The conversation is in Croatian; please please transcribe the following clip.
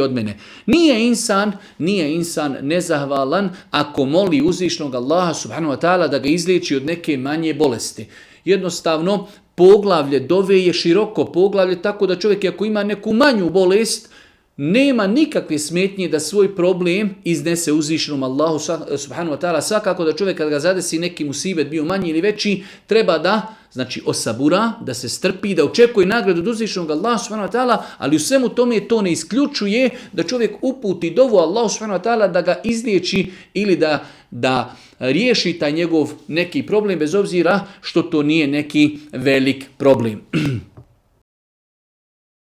od mene. Nije insan nezahvalan ako moli uzvišnog Allaha subhanahu wa ta'ala da ga izliječi od neke manje bolesti. Jednostavno, poglavlje dove je široko poglavlje, tako da čovjek ako ima neku manju bolest, nema nikakve smetnje da svoj problem iznese uzvišenom Allahu subhanahu wa ta'ala. Svakako da čovjek kad ga zadesi neki musibet, bio manji ili veći, treba da osabura, da se strpi, da očekuje nagradu od uzvišenog Allaha subhanahu wa ta'ala, ali u svemu tome to ne isključuje da čovjek uputi dovu Allahu subhanahu wa ta'ala da ga izliječi ili da riješi taj njegov neki problem, bez obzira što to nije neki velik problem.